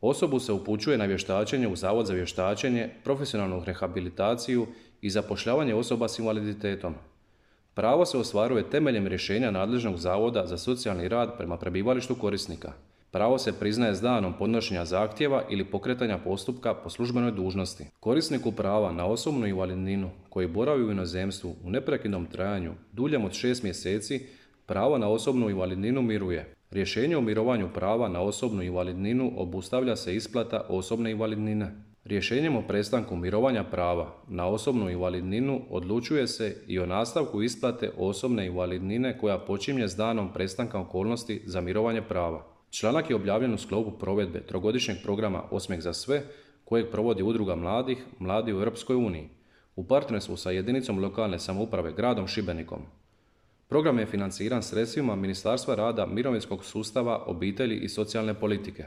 Osobu se upućuje na vještačenje u Zavod za vještačenje, profesionalnu rehabilitaciju i zapošljavanje osoba s invaliditetom. Pravo se ostvaruje temeljem rješenja nadležnog Zavoda za socijalni rad prema prebivalištu korisnika. Pravo se priznaje s danom podnošenja zahtjeva ili pokretanja postupka po službenoj dužnosti. Korisniku prava na osobnu invalidninu koji boravi u inozemstvu u neprekidnom trajanju duljem od 6 mjeseci pravo na osobnu invalidninu miruje. Rješenje o mirovanju prava na osobnu invalidninu obustavlja se isplata osobne invalidnine. Rješenjem o prestanku mirovanja prava na osobnu invalidninu odlučuje se i o nastavku isplate osobne invalidnine koja počinje s danom prestanka okolnosti za mirovanje prava. Članak je objavljen u sklopu provedbe trogodišnjeg programa Osmijeh za sve, kojeg provodi Udruga mladih, Mladi u Europskoj uniji, u partnerstvu sa jedinicom lokalne samouprave gradom Šibenikom. Program je financiran sredstvima Ministarstva rada, mirovinskog sustava, obitelji i socijalne politike.